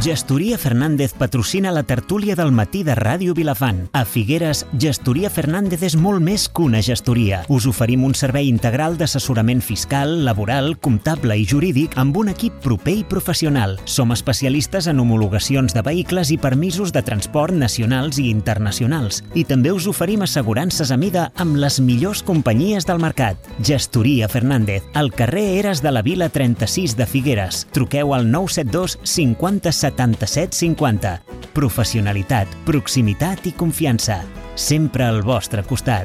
Gestoria Fernández patrocina la tertúlia del matí de Ràdio Vilafant. A Figueres, Gestoria Fernández és molt més que una gestoria. Us oferim un servei integral d'assessorament fiscal, laboral, comptable i jurídic amb un equip proper i professional. Som especialistes en homologacions de vehicles i permisos de transport nacionals i internacionals. I també us oferim assegurances a mida amb les millors companyies del mercat. Gestoria Fernández, al carrer Eres de la Vila 36 de Figueres. Truqueu al 972 50 77 50. Professionalitat, proximitat i confiança. Sempre al vostre costat.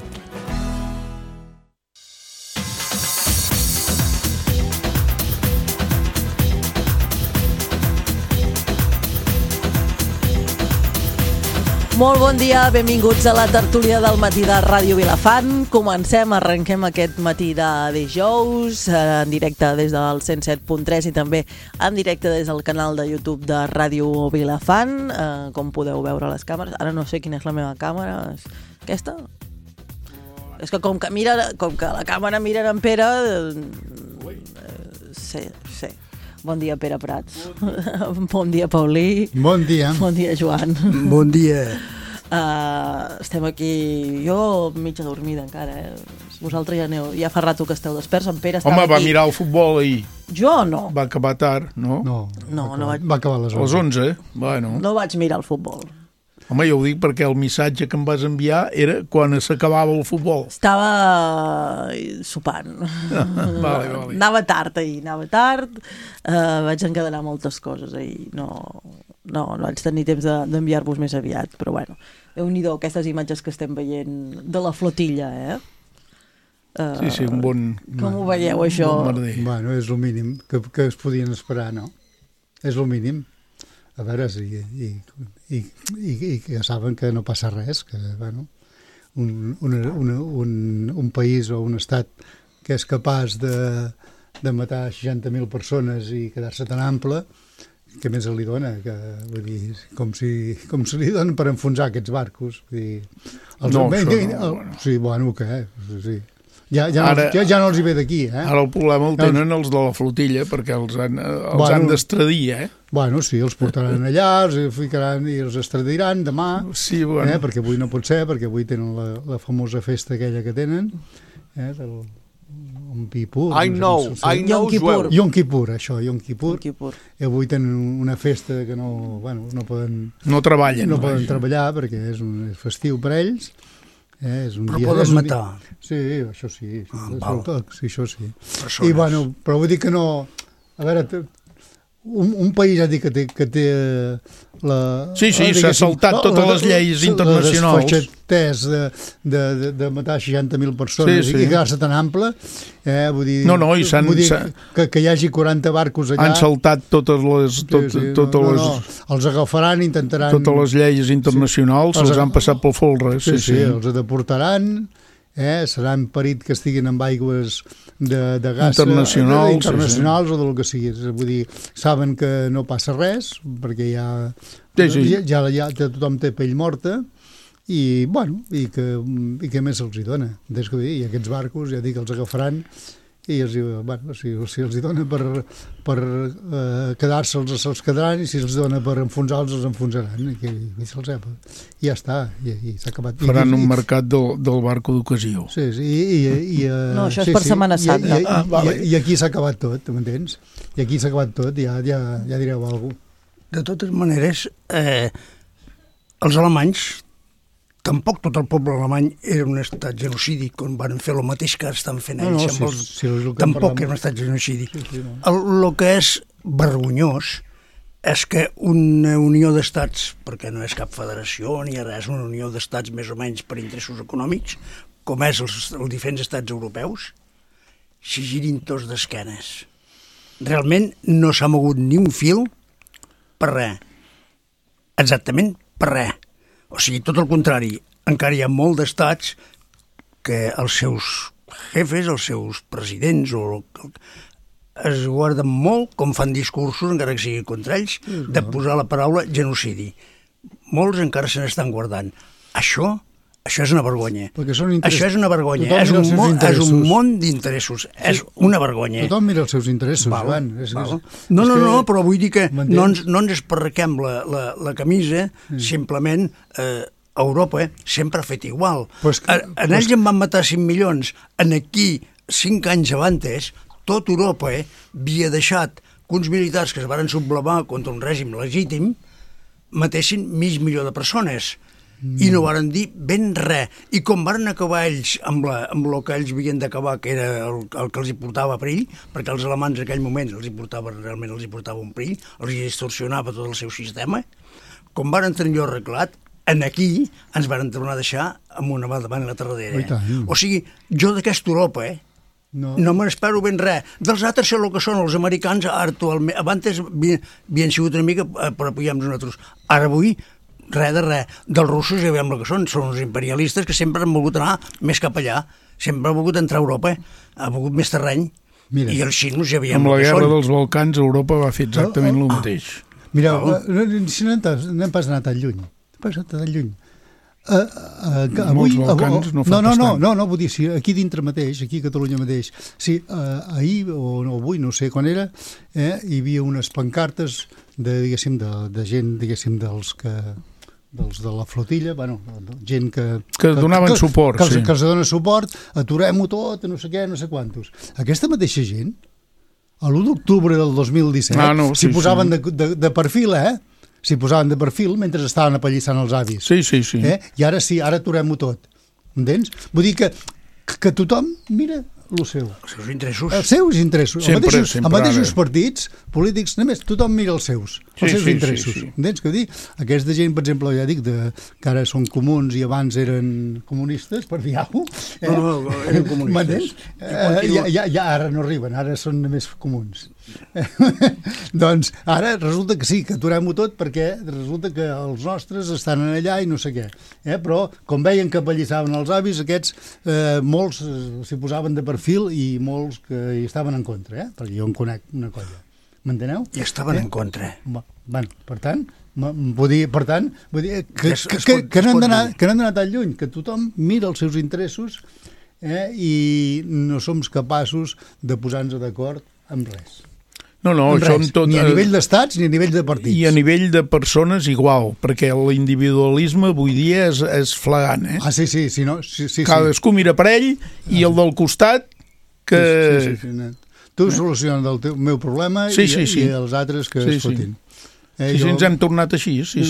Molt bon dia, benvinguts a la tertúlia del matí de Ràdio Vilafant. Arrenquem aquest matí de dijous, en directe des del 107.3 i també en directe des del canal de YouTube de Ràdio Vilafant. Com podeu veure a les càmeres, ara no sé quina és la meva càmera, aquesta? És que com que la càmera mira en Pere... Sí. Bon dia, Pere Prats. Bon dia, Paulí. Bon dia. Bon dia, Joan. Bon dia. Estem aquí, jo mitja dormida encara, Vosaltres ja fa rato que esteu desperts. En Pere estava Home, va aquí. mirar el futbol ahir. Jo no. Va acabar tard, no? No vaig... Va acabar a les 11. A les 11, bueno. No vaig mirar el futbol. Home, jo ho dic perquè el missatge que em vas enviar era quan s'acabava el futbol. Estava sopant. Vale. Anava tard ahir, vaig encadenar moltes coses ahir. No vaig tenir temps d'enviar-vos més aviat, però bueno, Déu-n'hi-do aquestes imatges que estem veient de la flotilla, Sí, un bon... Com ho veieu, això? Bon merder. Bueno, és el mínim que es podien esperar, no? És el mínim. A veure, i que saben que no passa res, que, bueno, un país o un estat que és capaç de matar 60.000 persones i quedar-se tan ample, què més li dona? Vull dir, com si li donen per enfonsar aquests barcos. Vull dir, sí, bueno, què? Sí. Ja no els hi ve d'aquí, Ara el problema el tenen els de la flotilla, perquè els han d'extradir, Bueno, sí, els portaran allà, els ficaran i els extradiran demà, sí, bueno. Perquè avui no pot ser, perquè avui tenen la famosa festa aquella que tenen, del Yom Kippur. Yom Kippur. Yom Kippur, això, Yom Kippur. I avui tenen una festa que no poden... No treballen. No poden treballar perquè és festiu per ells. És un però dia, poden matar. Sí, això sí. Sí, això sí. Persones. I bueno, però vull dir que no... A veure, un país ha dit que té la... Sí, s'ha saltat totes les lleis internacionals. Les desfachatès de matar 60.000 persones i quedar-se tan ample, vull dir... Vull dir que hi hagi 40 barcos allà... Han saltat totes les... Els agafaran, intentaran... Totes les lleis internacionals se'ls han passat pel folre. Sí, els deportaran, serà imperit que estiguin amb aigües de gas internacionals o del que sigui. Vull dir, saben que no passa res, perquè ja tothom té pell morta, i bueno, i què més se'ls hi dona? I aquests barcos, ja dic, els agafaran i si els hi dona per quedar-se'ls, se'ls quedaran, i si els dona per enfonsar-los, els enfonsaran, i ja està, i s'ha acabat. Faran un mercat del barco d'ocasió. Sí, no, això és per Setmana Santa. I aquí s'ha acabat tot, m'entens? I aquí s'ha acabat tot, ja direu alguna cosa. De totes maneres, els alemanys, tampoc tot el poble alemany era un estat genocidi, quan van fer el mateix que estan fent ells. Tampoc era un estat genocidi. El que és vergonyós és que una unió d'estats, perquè no és cap federació ni res, una unió d'estats més o menys per interessos econòmics, com és els diferents estats europeus, s'hi girin tots d'esquenes. Realment no s'ha mogut ni un fil per res. Exactament per res. O sigui, tot el contrari, encara hi ha molt d'estats que els seus jefes, els seus presidents, es guarden molt, com fan discursos, encara que sigui contra ells, de posar la paraula genocidi. Molts encara se n'estan guardant. Això Això és una vergonya. Això és una vergonya. És un món d'interessos. És una vergonya. Tothom mira els seus interessos, Joan. No, però vull dir que no ens esparraquem la camisa, simplement Europa sempre ha fet igual. En ells en van matar 5 milions. En aquí, 5 anys abans, tot Europa havia deixat que uns militars que es van sublevar contra un règim legítim matessin mig milió de persones. I no varen dir ben res. I com varen acabar ells amb el que ells havien d'acabar, que era el que els hi portava perill, perquè els alemanys en aquell moment realment els hi portava un perill, els hi distorsionava tot el seu sistema, com varen tenir allò arreglat, aquí ens varen tornar a deixar amb una mà davant la terradera. O sigui, jo d'aquesta Europa, no me n'espero ben res. Dels altres sé el que són els americans actualment. Abans havien sigut una mica per apoyar-nos nosaltres. Ara avui res de res. Dels russos ja veiem el que són uns imperialistes que sempre han volgut anar més cap allà, sempre han volgut entrar a Europa, ha volgut més terreny. I els xinos ja veiem el que són. Amb la guerra dels Balcans, Europa va fer exactament el mateix. Mira, si no hem pas anat tan lluny. Molts Balcans no fa bastant. No, vull dir, si aquí dintre mateix, aquí a Catalunya mateix, sí, ahir o avui, no sé quan era, hi havia unes pancartes de gent, diguéssim, dels de la flotilla, gent que donaven suport, que els dona suport, aturem-ho tot, no sé què, no sé quantos. Aquesta mateixa gent, l'1 d'octubre del 2017, s'hi posaven de perfil, s'hi posaven de perfil mentre estaven apallissant els avis. Sí. I ara sí, ara aturem-ho tot. Entens? Vull dir que tothom mira el seu. Els seus interessos. Els seus interessos. Sempre, Els mateixos partits polítics, només tothom mira els seus interessos. Sí. Entens què vull dir? Aquesta gent, per exemple, ja dic, que ara són comuns i abans eren comunistes, per dir-ho. No, eren comunistes. Ja ara no arriben, ara són només comuns. Doncs ara resulta que sí, que aturem-ho tot perquè resulta que els nostres estan allà i no sé què. Però, com veien que apallissaven els avis, aquests, molts s'hi posaven de perfil i molts que hi estaven en contra, perquè jo en conec una colla. M'enteneu? I estaven en contra. Per tant, vull dir que no hem d'anar tan lluny, que tothom mira els seus interessos i no som capaços de posar-nos d'acord amb res. No, això tot... Ni a nivell d'estats ni a nivell de partits. I a nivell de persones igual, perquè l'individualisme avui dia és flagrant, Sí. Cadascú mira per ell i el del costat que... Sí. Tu soluciones el meu problema i els altres que es fotin. Ens hem tornat així, sí.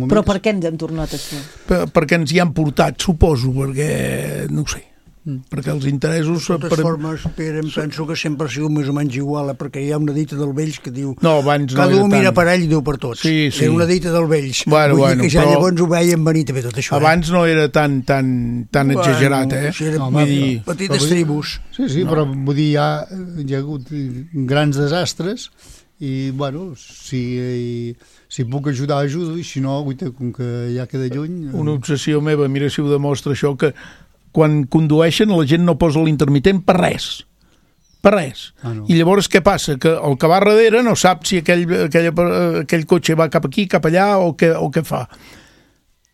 Però per què ens hem tornat així? Perquè ens hi han portat, suposo, perquè, no ho sé, perquè els interessos... De totes formes, Pere, em penso que sempre ha sigut més o menys igual, perquè hi ha una dita del Vells que diu cada un mira per ell i diu per tots. Sí. Era una dita del Vells. Vull dir que ja llavors ho veiem venir també tot això. Abans no era tan exagerat, Petites tribus. Sí, però vull dir, hi ha hagut grans desastres i, si puc ajudar, ajudo, i si no, com que ja queda lluny... Una obsessió meva, mira si ho demostra això, que quan condueixen la gent no posa l'intermitent per res. I llavors què passa? Que el que va darrere no sap si aquell cotxe va cap aquí, cap allà o què fa.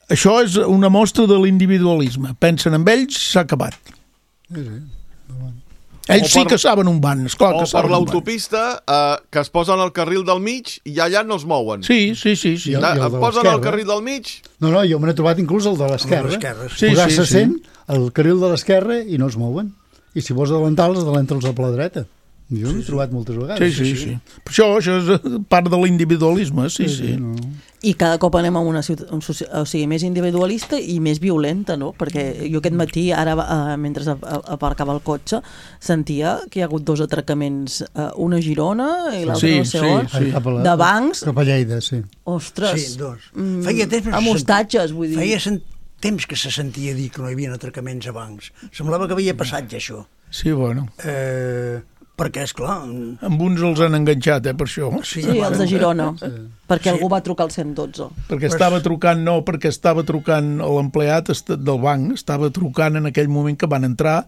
Això és una mostra de l'individualisme. Pensen en ells, s'ha acabat. Ells sí que saben on van, esclar que saben on van. O per l'autopista, que es posen al carril del mig i allà no es mouen. Sí. Es posen al carril del mig... No, jo me n'he trobat inclús el de l'esquerra. Posar-se 100 al carril de l'esquerra i no es mouen. I si vols adelantar-los, adelanta'ls a la dreta. Jo l'he trobat moltes vegades. Sí. Això és part de l'individualisme, sí. I cada cop anem a una ciutat més individualista i més violenta, no? Perquè jo aquest matí, ara mentre aparcava el cotxe, sentia que hi ha hagut 2 atracaments, una a Girona i l'altra no sé on, de bancs. Cap a Lleida, sí. Ostres. Sí, 2. Amb hostatges, vull dir. Feia temps que se sentia dir que no hi havia atracaments a bancs. Semblava que havia passat ja això. Sí, bueno. Perquè, esclar... Amb uns els han enganxat, per això. Sí, els de Girona. Perquè algú va trucar al 112. Perquè estava trucant l'empleat del banc, estava trucant en aquell moment que van entrar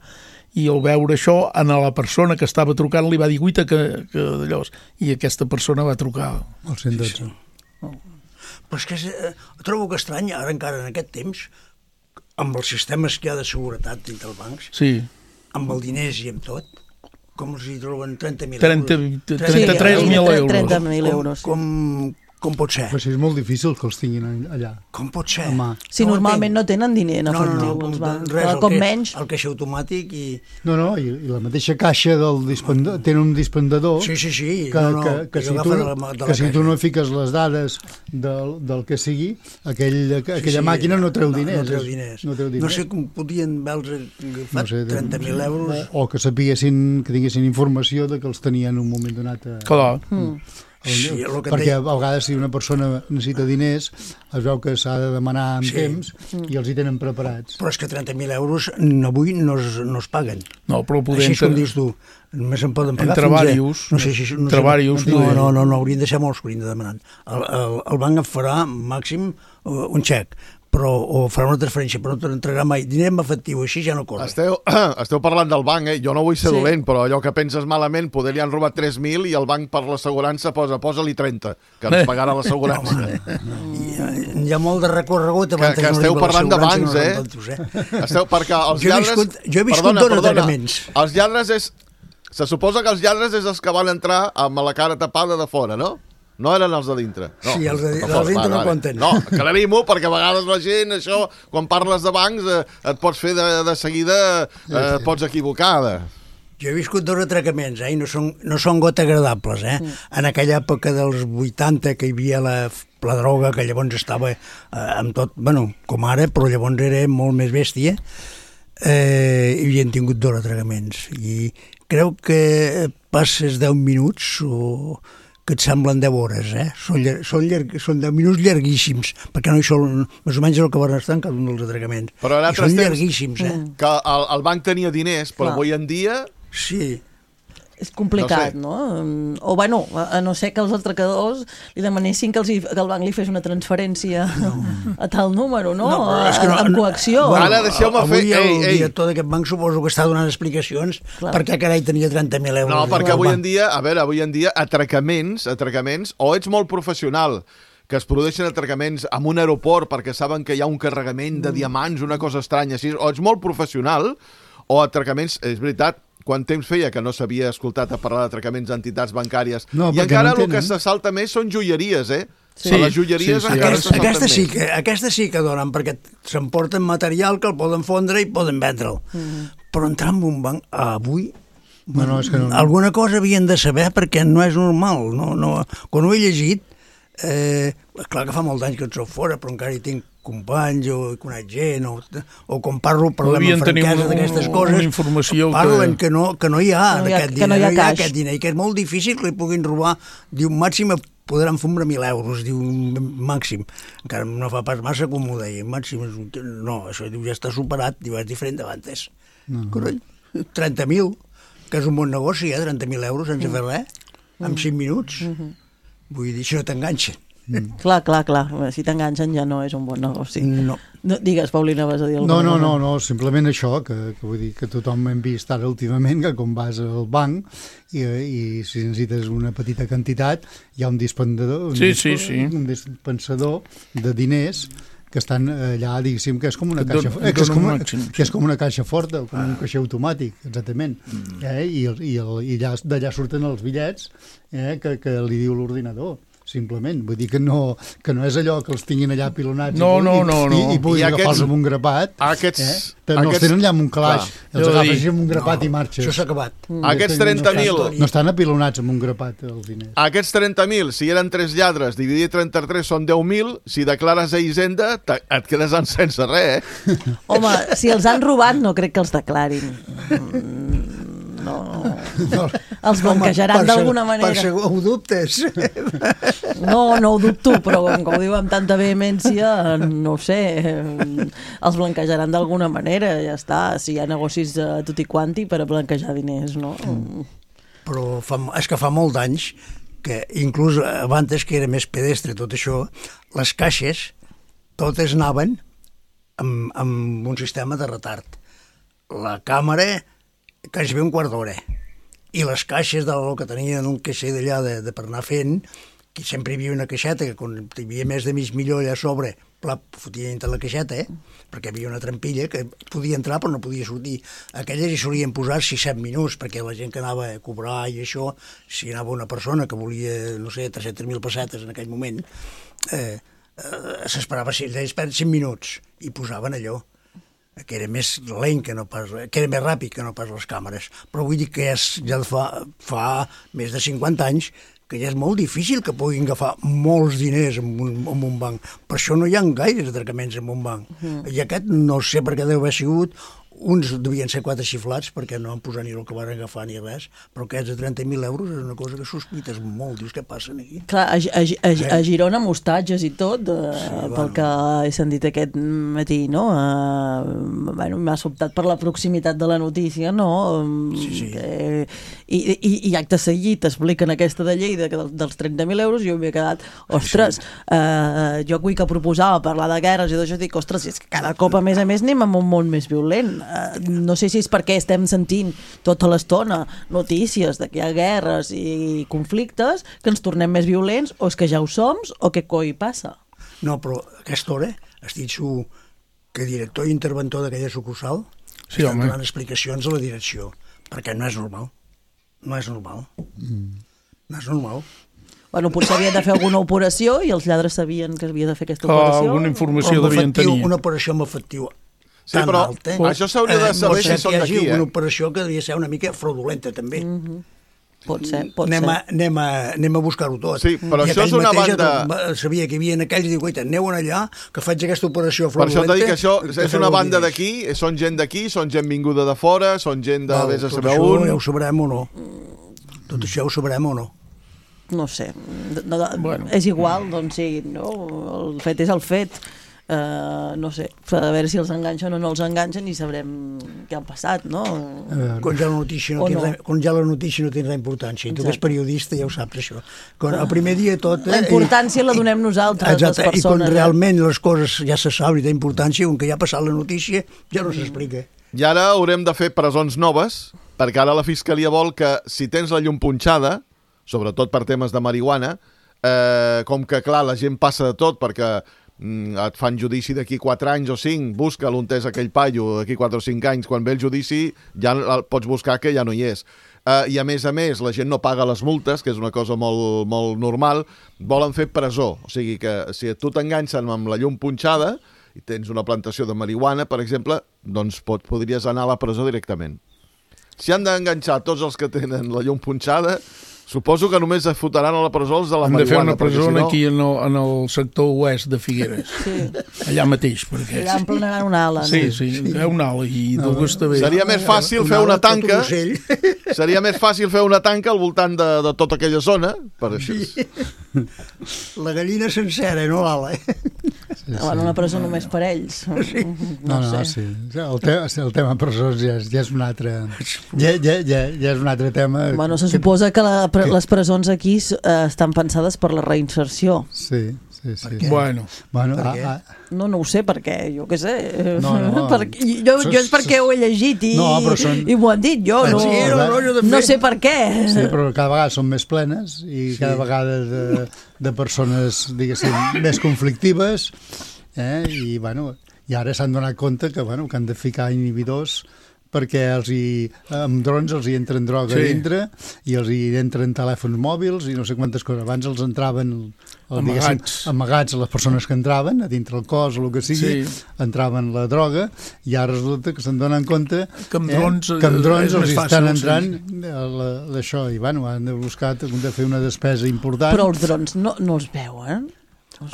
i al veure això, a la persona que estava trucant li va dir guita que d'allò... I aquesta persona va trucar al 112. Sí. Però és que trobo que estrany, ara encara en aquest temps, amb els sistemes que hi ha de seguretat dintre els bancs, amb els diners i amb tot, com els hi troben 30.000 euros? 33.000 euros. 30.000 euros. Com pot ser? Però si és molt difícil que els tinguin allà. Com pot ser? Si normalment no tenen diner en efectiu. Com menys. El caixer automàtic i... No, i la mateixa caixa del dispendador, tenen un dispendador que si tu no fiques les dades del que sigui, aquella màquina no treu diners. No sé com podien haver agafat 30.000 euros. O que sapiguessin, que tinguessin informació de que els tenien en un moment donat. Clar. Perquè a vegades si una persona necessita diners es veu que s'ha de demanar amb temps i els hi tenen preparats. Però és que 30.000 euros avui no es paguen. No, però així com dius tu, només en poden pagar entre varios. No, haurien de ser molts que haurien de demanar. El banc et farà màxim un xec, o farà una transferència, però no t'entrarà mai diner en efectiu, així ja no corre. Esteu parlant del banc, jo no vull ser dolent, però allò que penses malament, poder li han robat 3.000 i el banc per l'assegurança posa-li 30, que ens pagarà l'assegurança. Hi ha molt de recorregut abans que esteu parlant de bancs, perquè els lladres... Jo he viscut dos atracaments. Els lladres se suposa que els lladres és els que van entrar amb la cara tapada de fora, no? No eren els de dintre. No. Sí, els de dintre no compten. No, aclarim-ho, perquè a vegades la gent, això, quan parles de bancs, et pots fer de seguida, et pots equivocar. Jo he viscut dos atracaments, i no són gota agradables. En aquella època dels 80, que hi havia la droga, que llavors estava amb tot, com ara, però llavors era molt més bèstia, i havien tingut dos atracaments. I crec que passes 10 minuts que et semblen 10 hores, Són 10 minuts llarguíssims, perquè no hi són, més o menys el que van estar en cada un dels atracaments. Però en altres són llarguíssims, que el banc tenia diners, però avui en dia... Sí. És complicat, no? O, a no ser que els atracadors li demanessin que el banc li fes una transferència a tal número, no? Amb coacció. Ara deixeu-me fer... Avui el director d'aquest banc suposo que està donant explicacions perquè carai tenia 30.000 euros. No, perquè avui en dia, atracaments, o ets molt professional, que es produeixen atracaments en un aeroport perquè saben que hi ha un carregament de diamants, una cosa estranya així, o ets molt professional, o atracaments, és veritat, quant temps feia que no s'havia escoltat a parlar d'atracaments d'entitats bancàries. I encara el que se salta més són joieries, Sí. A les joieries Aquestes sí que donen, perquè s'emporten material que el poden fondre i poden vendre'l. Però entrar en un banc avui... Alguna cosa havien de saber perquè no és normal. Quan ho he llegit, clar que fa molt d'anys que en soc fora, però encara hi tinc companys o he conec gent o quan parlem amb franquesa d'aquestes coses parlen que no hi ha aquest diner i que és molt difícil que li puguin robar. Diu, màxim podran fumar 1.000 euros, diu, màxim. Encara no fa pas massa com ho deia, màxim. No, això diu, ja està superat, diu, és diferent d'abans. 30.000, que és un bon negoci, 30.000 euros sense fer res, en 5 minuts. Vull dir, això t'enganxa. Clar. Si t'enganxen ja no és un bon negoci. No. Digues, Paulina, vas a dir alguna cosa? No, simplement això, que vull dir que tothom hem vist ara últimament, que quan vas al banc i si necessites una petita quantitat, hi ha un dispensador, un dispensador de diners que estan allà, diguéssim, que és com una caixa que és com una caixa forta, com un caixer automàtic, exactament. I d'allà surten els bitllets que li diu l'ordinador. Simplement, vull dir que no és allò que els tinguin allà pilonats i puguin agafar-los amb un grapat. No els tenen allà amb un calaix, els agafes amb un grapat i marxes. Això s'ha acabat. Aquests 30.000... No estan apilonats amb un grapat, els diners. Aquests 30.000, si eren 3 lladres, dividit 33 són 10.000, si declares a Hisenda, et quedes sense res, Home, si els han robat, no crec que els declarin. No. Els blanquejaran d'alguna manera. Per segur ho dubtes. No ho dubto, però com ho diu amb tanta vehemència, no ho sé, els blanquejaran d'alguna manera, ja està. Si hi ha negocis de tot i quanti per a blanquejar diners, no? Però és que fa molt d'anys que inclús abans que era més pedestre tot això, les caixes totes anaven amb un sistema de retard. La càmera quasi bé un quart d'hora. I les caixes del que tenien un caixer d'allà per anar fent que sempre hi havia una caixeta, que quan hi havia més de mig milió allà a sobre, fotia dintre la caixeta, perquè hi havia una trampilla que podia entrar però no podia sortir. Aquelles hi solien posar 6-7 minuts, perquè la gent que anava a cobrar i això, si anava una persona que volia, no sé, 300.000 pessetes en aquell moment, s'esperava 5 minuts i posaven allò, que era més lent que no pas, que era més ràpid que no pas les càmeres. Però vull dir que ja fa més de 50 anys que ja és molt difícil que puguin agafar molts diners en un banc. Per això no hi ha gaires atracaments en un banc. I aquest no sé per què deu haver sigut. Uns devien ser 4 xiflats perquè no han posat ni el que van agafar ni res, però aquests de 30.000 euros és una cosa que sospites molt. Dius, què passa aquí? Clar, a Girona hostatges i tot, pel que he sentit aquest matí, no? M'ha sobtat per la proximitat de la notícia, no? Sí. I acte seguit expliquen aquesta de Lleida dels 30.000 euros i jo m'he quedat, ostres, jo avui que proposava parlar de guerres i d'això dic, ostres, és que cada cop a més anem en un món més violent. No sé si és perquè estem sentint tota l'estona notícies de que hi ha guerres i conflictes que ens tornem més violents, o és que ja ho som o què coi passa? No, però a aquesta hora estic segur que director i interventor d'aquella sucursal estan donant explicacions a la direcció, perquè no és normal. No és normal. No és normal. Bueno, potser havien de fer alguna operació i els lladres sabien que havia de fer aquesta operació. Alguna informació devien tenir. Una operació amb efectiu sí, però alt, això s'hauria de saber si són d'aquí, una operació que devia ser una mica fraudulenta, també. Pot ser. Anem a buscar-ho tot. Sí, però i això és una banda... Sabia que hi havia aquells i diu, guaita, aneu allà, que faig aquesta operació fraudulenta. Per això t'he dit que això és una banda d'aquí, són gent d'aquí, són gent vinguda de fora, són gent de vés a saber on... Ja ho sabrem o no. Tot això ho sabrem o no. No sé. És igual, doncs sí, no? El fet és el fet. No sé, a veure si els enganxen o no els enganxen i sabrem què ha passat, no? Quan ja la notícia no té res importància, i tu que ets periodista ja ho saps, això. El primer dia tot... La importància la donem nosaltres, les persones. I quan realment les coses ja se saben i té importància, com que ja ha passat la notícia, ja no s'explica. I ara haurem de fer presons noves, perquè ara la Fiscalia vol que si tens la llum punxada, sobretot per temes de marihuana, com que, clar, la gent passa de tot, perquè et fan judici d'aquí 4 anys o 5, busca l'on és aquell paio d'aquí 4 o 5 anys, quan ve el judici ja pots buscar que ja no hi és. I a més, la gent no paga les multes, que és una cosa molt, molt normal, volen fer presó. O sigui que si tu t'enganxen amb la llum punxada i tens una plantació de marihuana, per exemple, doncs podries anar a la presó directament. Si han d'enganxar tots els que tenen la llum punxada, suposo que només es fotran a la presó els de la marihuana. Hem de fer una presó aquí en el sector oest de Figueres. Sí. Allà mateix. Perquè... Allà en planejant una ala. Sí, hi ha una ala i d'Augusta bé. Seria més fàcil fer una tanca. Seria més fàcil fer una tanca al voltant de tota aquella zona. Per això. La gallina sencera, no l'ala. Bueno, una presó només per ells. No, sí. El tema presons ja és un altre... Ja és un altre tema. Bueno, se suposa que les presons aquí estan pensades per la reinserció. Sí. Bueno, no ho sé per què, jo què sé. Jo és perquè ho he llegit i m'ho han dit, jo no sé per què. Sí, però cada vegada són més plenes i cada vegada de persones, diguéssim, més conflictives, i ara s'han donat compte que han de ficar inhibidors perquè amb drons els hi entren droga dintre i els hi entren telèfons mòbils i no sé quantes coses. Abans els entraven amagats a les persones que entraven, a dintre el cos o el que sigui, entraven la droga, i ara resulta que se'n donen compte que amb drons els estan entrant d'això, i han de buscar, han de fer una despesa important. Però els drons no els veuen?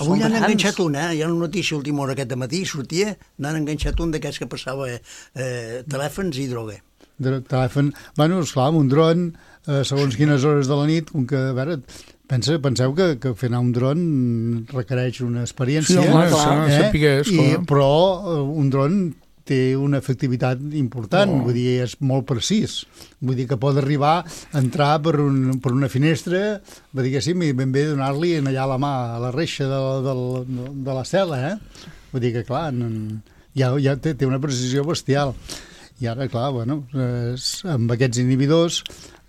Avui n'han enganxat un, hi ha una notícia última hora aquest matí, sortia, n'han enganxat un d'aquests que passava telèfons i droga. Telèfon, esclar, amb un dron, segons quines hores de la nit, com que, a veure, penseu que fer anar un dron requereix una experiència, però un dron té una efectivitat important, vull dir, és molt precís. Vull dir que pot arribar a entrar per una finestra, diguéssim, i ben bé donar-li allà la mà a la reixa de la cel·la, Vull dir que, clar, ja té una precisió bestial. I ara, clar, amb aquests inhibidors,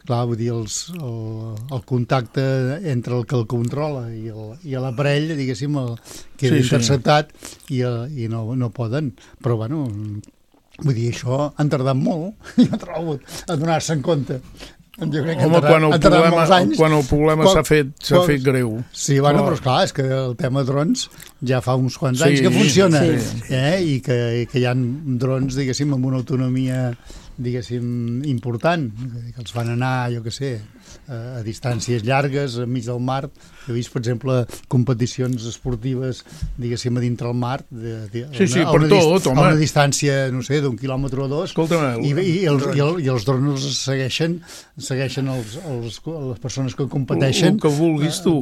clar, vull dir, el contacte entre el que el controla i l'aparell, diguéssim, queda interceptat i no poden. Però, bueno, vull dir, això han tardat molt, jo trobo, a donar-se en compte. Home, quan el problema s'ha fet greu. Sí, bueno, però esclar, és que el tema drons ja fa uns quants anys que funciona, i que hi ha drons, diguéssim, amb una autonomia, diguéssim, important, que els fan anar, jo què sé, a distàncies llargues, enmig del mar. He vist, per exemple, competicions esportives, diguéssim, a dintre el mar, a una distància, no sé, d'1 quilòmetre o 2, i els drones segueixen les persones que competeixen. El que vulguis tu,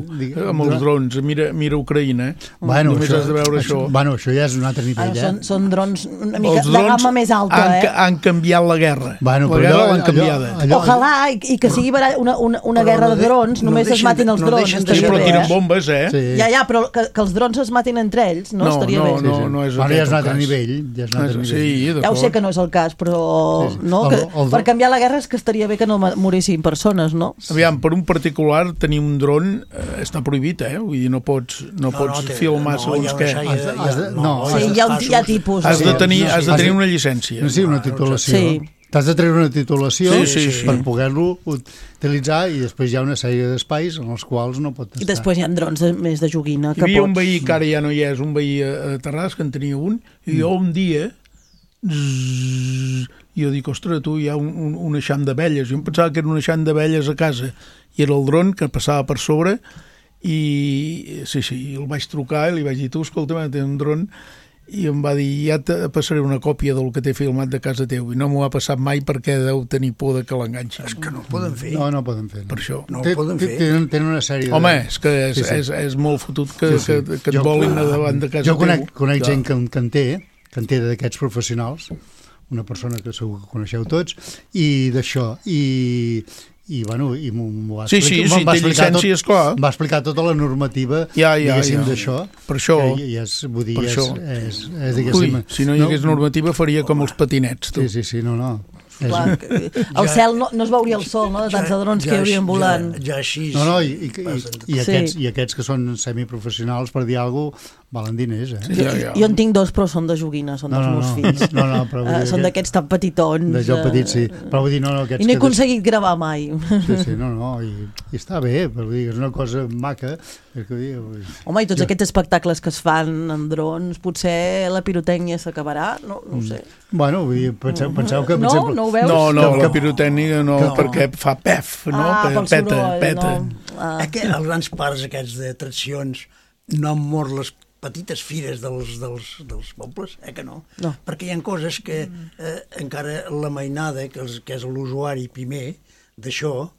amb els drons. Mira Ucraïna, només has de veure això. Bueno, això ja és un altre nivell. Són drons una mica de gamma més alta. Han canviat la guerra. La guerra l'han canviada. Ojalà, i que sigui una guerra de drons, només es matin els drons. Però tiren bombes, Ja, però que els drons es matin entre ells no estaria bé. No és aquest el cas. Ja és un altre nivell. Ja ho sé que no és el cas, però per canviar la guerra és que estaria bé que no morissin persones, no? Aviam, per un particular tenir un dron està prohibit, Vull dir, no pots filmar segons què. Hi ha tipus. Has de tenir una llicència. Sí, una titulació. T'has de treure una titulació per poder-lo utilitzar, i després hi ha una sèrie d'espais en els quals no pot estar. I després hi ha drons més de joguina. Hi havia un veí, que ara ja no hi és, un veí a Terrassa, que en tenia un, i jo un dia jo dic, ostres, tu, hi ha un eixam d'abelles. Jo em pensava que era un eixam d'abelles a casa, i era el dron que passava per sobre, i el vaig trucar i li vaig dir, tu, escolta, té un dron, i em va dir, ja te passaré una còpia del que t'he filmat de casa teu, i no m'ho ha passat mai perquè deu tenir por de que l'enganxin. És que no ho poden fer. No poden fer. Per això. No ho poden fer. Tenen una sèrie de... Home, és que és molt fotut que et volin davant de casa teu. Jo conec gent que en té d'aquests professionals, una persona que segur que coneixeu tots, i d'això, i m'ho va explicar va explicar tota la normativa diguéssim d'això, per això si no hi hagués normativa faria com els patinets, tu. Sí, no Clar, el cel no es veuria el sol, de tants drons que hi haurien volant. Ja així. I aquests que són semiprofessionals, per dir alguna cosa, valen diners, Jo en tinc 2, però són de joguina, són dels meus fills. Són d'aquests tan petitons. De jo petit, sí. Però vull dir, I no he aconseguit gravar mai. Sí, i està bé, però vull dir, és una cosa maca. Home, i tots aquests espectacles que es fan en drons, potser la pirotècnia s'acabarà? No ho sé. Bueno, penseu que... No ho veus? No, la pirotècnia no, perquè fa pef, no? Peta. Els grans parcs aquests d'atraccions no han mort les petites fires dels pobles, que no? Perquè hi ha coses que encara la mainada, que és l'usuari primer d'això,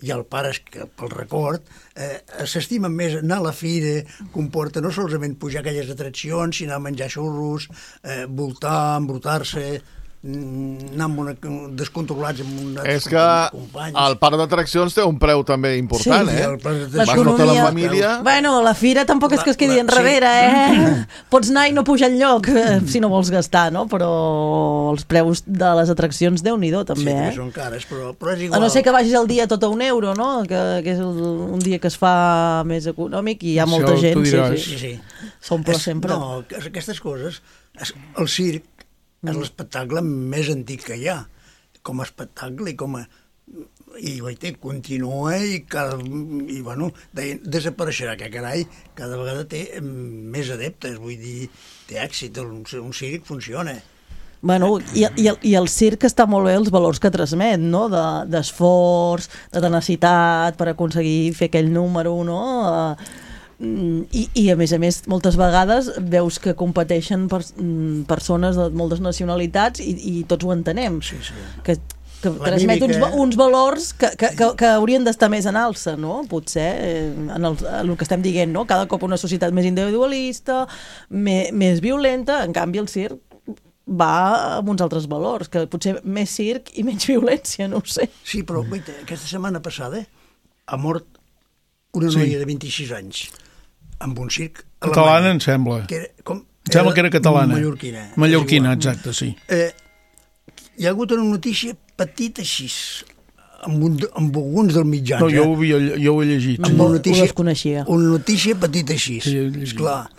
i el pare, pel record, s'estimen més anar a la fira, comporta no solament pujar aquelles atraccions, sinó menjar xurros, voltar, embrutar-se, anar descontrolats amb una... És que el parc d'atraccions té un preu també important, Vas tota la família... Bueno, la fira tampoc és que es quedi enrere, Pots anar i no pujar enlloc, si no vols gastar, no? Però els preus de les atraccions, Déu-n'hi-do, també, Sí, són cares, però és igual. A no ser que vagis el dia tot a €1, no? Que és un dia que es fa més econòmic i hi ha molta gent. Sí. S'omple sempre. No, aquestes coses, el circ, és l'espectacle més antic que hi ha, com a espectacle i continua i desapareixerà, que carai, cada vegada té més adeptes, vull dir, té èxit, un circ funciona. Bueno, i el circ està molt bé els valors que transmet, no? D'esforç, de tenacitat per aconseguir fer aquell número, no? I a més, moltes vegades veus que competeixen persones de moltes nacionalitats i tots ho entenem. Que transmet uns valors que haurien d'estar més en alça, no? Potser, en el que estem dient, no? Cada cop una societat més individualista, més violenta, en canvi el circ va amb uns altres valors, que potser més circ i menys violència, no ho sé. Sí, però aquesta setmana passada ha mort una noia de 26 anys amb un circ catalana, em sembla. Em sembla que era catalana. Mallorquina, exacte, sí. Hi ha hagut una notícia petita així amb alguns dels mitjans. No, jo ho he llegit. Ho desconeixia. Una notícia petita així. Esclar.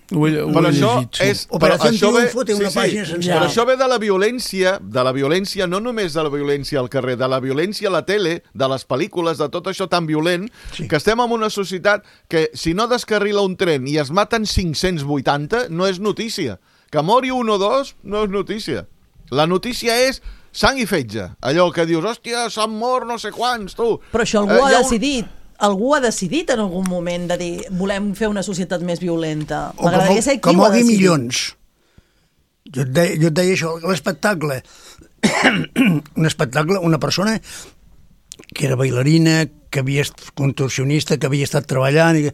Però això és... Operació Triunfo té una pàgina sencera. Però això ve de la violència, no només de la violència al carrer, de la violència a la tele, de les pel·lícules, de tot això tan violent, que estem en una societat que si no descarrila un tren i es maten 580, no és notícia. Que mori un o dos no és notícia. La notícia és sang i fetge. Allò que dius, hòstia, s'han mort no sé quants, tu. Però això algú ha decidit. Algú ha decidit en algun moment de dir volem fer una societat més violenta. M'agradaria saber qui ho ha decidit. Milions. Jo et deia això, l'espectacle. Un espectacle, una persona que era bailarina, que havia estat contorsionista, que havia estat treballant...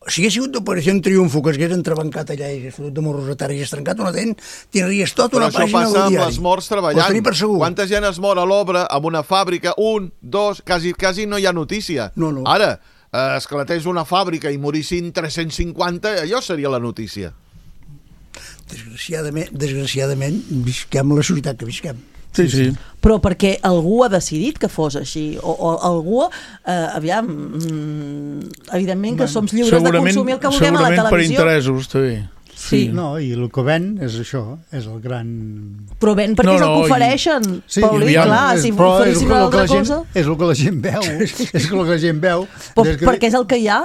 Si hagués sigut d'Operació Triunfo, que s'hagués entrebancat allà i hagués fotut de morros a terra i hagués trencat una dent, tindries tota una pàgina del diari. Però això passa amb les morts treballant. Quanta gent es mor a l'obra, en una fàbrica, 1, 2, quasi no hi ha notícia. No. Ara, esclatés una fàbrica i morissin 350, allò seria la notícia. Desgraciadament, visquem la societat que visquem. Sí. Però perquè algú ha decidit que fos així, o algú, evidentment que som lliures de consumir el que vulguem a la televisió. Segurament per interessos, també. Sí. No, i el que ven és això, és el gran... Però ven perquè és el que ofereixen, Paulí, clar, si oferissin una altra cosa... És el que la gent veu, és el que la gent veu. Perquè és el que hi ha.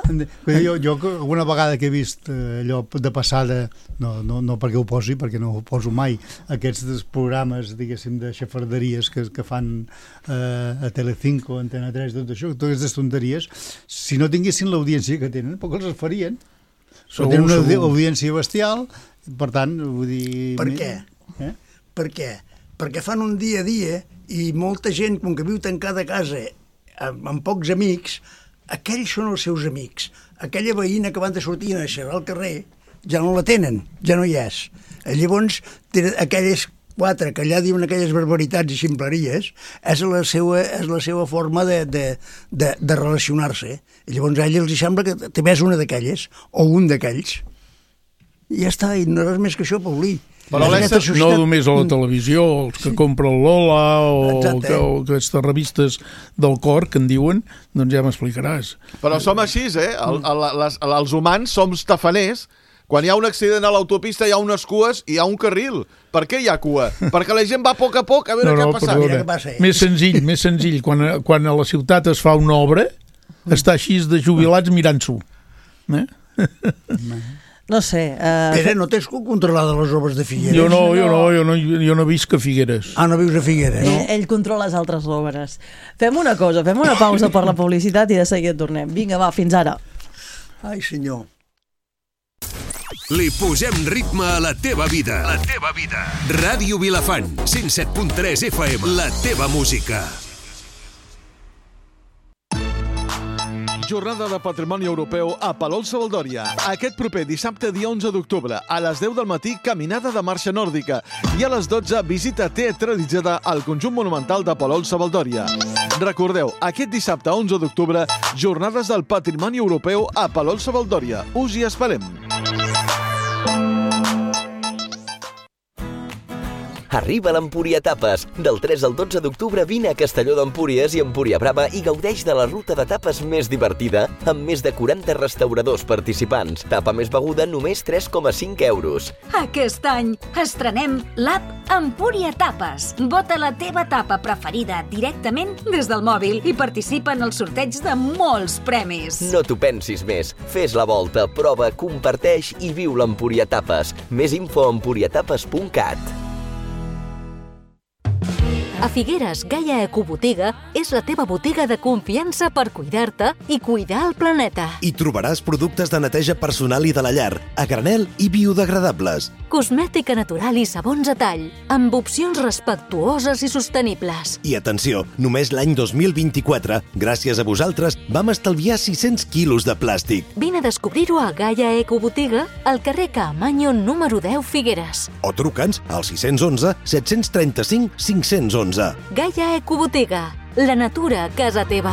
Jo alguna vegada que he vist allò de passada, no perquè ho posi, perquè no ho poso mai, aquests programes, diguéssim, de xafarderies que fan a Telecinco, Antena 3, tot això, totes aquestes tonteries, si no tinguessin l'audiència que tenen, poc els farien. Tenen una audiència bestial, per tant, vull dir... Per què? Per què? Perquè fan un dia a dia i molta gent, com que viu tancada a casa amb pocs amics, aquells són els seus amics. Aquella veïna que van de sortir a xerrar al carrer ja no la tenen, ja no hi és. Llavors, aquelles 4 que allà diuen aquelles barbaritats i ximpleries, és la seva forma de relacionar-se. I llavors a ell els sembla que també és una d'aquelles, o un d'aquells. I ja està, i no res més que això, Paulí. Però no només a la televisió, els que compra el Lola o aquestes revistes del cor que en diuen, doncs ja m'explicaràs. Però som així, els humans som tafaners. Quan hi ha un accident a l'autopista hi ha unes cues i hi ha un carril. Per què hi ha cua? Perquè la gent va a poc a veure què ha passat. Més senzill. Quan a la ciutat es fa una obra, està així de jubilats mirant-s'ho. No sé. Pere, no tens controlada les obres de Figueres? Jo no visc a Figueres. Ah, no vius a Figueres? Ell controla les altres obres. Fem una cosa, fem una pausa per la publicitat i de seguida tornem. Vinga, va, fins ara. Ai, senyor. Li posem ritme a la teva vida. La teva vida. Ràdio Vilafant, 107.3 FM. La teva música. Jornada de Patrimoni Europeu a Palol-Savaldòria. Aquest proper dissabte, dia 11 d'octubre, a les 10 del matí, caminada de marxa nòrdica. I a les 12, visita teatralitzada al conjunt monumental de Palol-Savaldòria. Recordeu, aquest dissabte 11 d'octubre, Jornades del Patrimoni Europeu a Palol-Savaldòria. Us hi esperem. Arriba l'Empúria Tapes. Del 3 al 12 d'octubre vine a Castelló d'Empúries i Empúria Brava i gaudeix de la ruta de tapes més divertida amb més de 40 restauradors participants. Tapa més beguda només 3,5 euros. Aquest any estrenem l'app Empúria Tapes. Vota la teva tapa preferida directament des del mòbil i participa en el sorteig de molts premis. No t'ho pensis més. Fes la volta, prova, comparteix i viu l'Empúria Tapes. Més info a empuriatapes.cat. A Figueres, Gaia Ecobotiga és la teva botiga de confiança per cuidar-te i cuidar el planeta. Hi trobaràs productes de neteja personal i de la llar, a granel i biodegradables. Cosmètica natural i sabons a tall, amb opcions respectuoses i sostenibles. I atenció, només l'any 2024, gràcies a vosaltres, vam estalviar 600 quilos de plàstic. Vine a descobrir-ho a Gaia Ecobotiga, al carrer Caamaño número 10 Figueres. O truca'ns al 611 735 511. Gaia Ecobotiga, la natura a casa teva.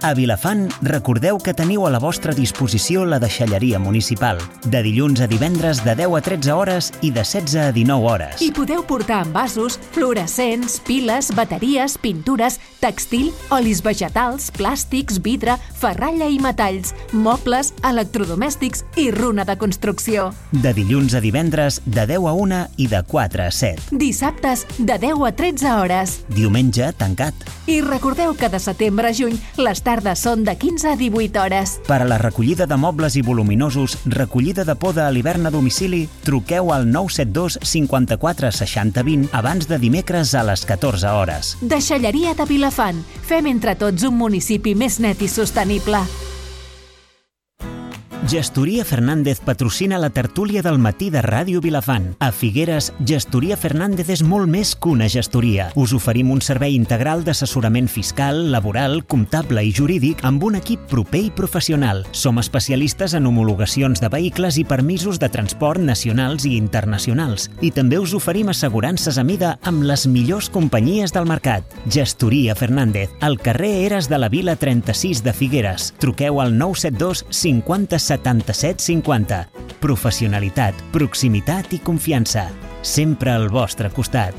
A Vilafant, recordeu que teniu a la vostra disposició la deixalleria municipal. De dilluns a divendres de 10 a 13 hores i de 16 a 19 hores. I podeu portar envasos, fluorescents, piles, bateries, pintures, textil, olis vegetals, plàstics, vidre, ferralla i metalls, mobles, electrodomèstics i runa de construcció. De dilluns a divendres de 10 a 1 i de 4 a 7. Dissabtes de 10 a 13 hores. Diumenge tancat. I recordeu que de setembre a juny les tardes són de 15 a 18 hores. Per a la recollida de mobles i voluminosos, recollida de poda a l'hivern a domicili, truqueu al 972 54 60 20 abans de dimecres a les 14 hores. Deixalleria de Vilafant. Fem entre tots un municipi més net i sostenible. Gestoria Fernández patrocina la tertúlia del matí de Ràdio Vilafant. A Figueres, Gestoria Fernández és molt més que una gestoria. Us oferim un servei integral d'assessorament fiscal, laboral, comptable i jurídic amb un equip proper i professional. Som especialistes en homologacions de vehicles i permisos de transport nacionals i internacionals. I també us oferim assegurances a mida amb les millors companyies del mercat. Gestoria Fernández, al carrer Eres de la Vila 36 de Figueres. Truqueu al 972 50 77 50. Professionalitat, proximitat i confiança. Sempre al vostre costat.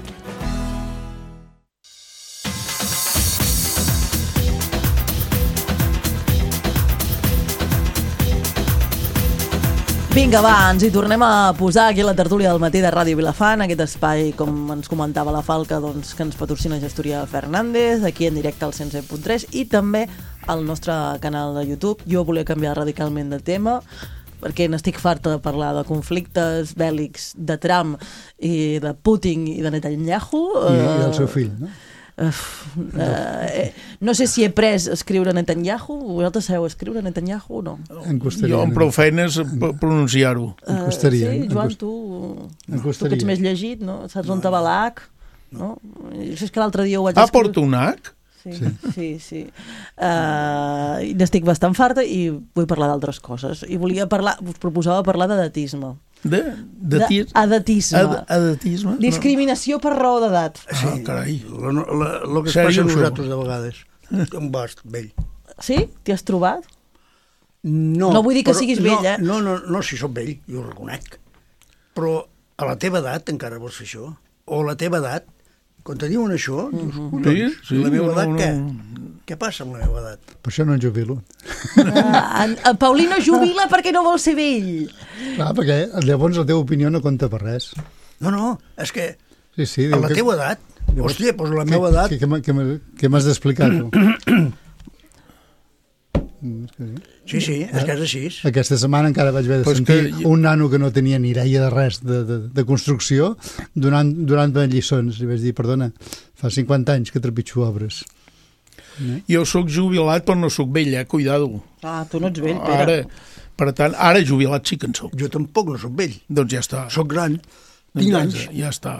Vinga, va, ens hi tornem a posar aquí a la tertúlia del matí de Ràdio Vilafant, aquest espai, com ens comentava la Falca, doncs, que ens patrocina Gestoria Fernández, aquí en directe al 107.3 i també al nostre canal de YouTube. Jo volia canviar radicalment de tema perquè n'estic farta de parlar de conflictes bèl·lics de Trump i de Putin i de Netanyahu. I el seu fill, no? No sé si he pres escriure Netanyahu. Vosaltres sabeu escriure Netanyahu o no? Jo amb prou feines pronunciar-ho. Sí, Joan, tu que ets més llegit, no? Saps on te va l'H? No? És que l'altre dia ho vaig escriure. Porta un H? Sí. N'estic bastant farta i vull parlar d'altres coses. I us proposava parlar d'edatisme. Edatisme? Discriminació per raó d'edat. Sí, carai. El que es passa a nosaltres de vegades. Un bast vell. Sí? T'hi has trobat? No. No vull dir que siguis vell, eh? No, si soc vell, jo ho reconec. Però a la teva edat encara vols fer això? O a la teva edat, quan te diuen això, dius, la meva edat què? Què passa amb la meva edat? Per això no en jubilo. En Paulí no jubila perquè no vol ser vell. Clar, perquè llavors la teva opinió no compta per res. No, és que sí, a la teva edat, hòstia, doncs la meva edat... Què m'has d'explicar, tu? Sí, és que és així. Aquesta setmana encara vaig haver de sentir un nano que no tenia ni idea de res de construcció donant-me lliçons. I vaig dir, perdona, fa 50 anys que trepitjo obres. Jo sóc jubilat però no sóc vell, cuidado. Tu no ets vell, Pere. Per tant, ara jubilat sí que en soc. Jo tampoc no sóc vell. Doncs ja està. Soc gran, tinc anys. Ja està.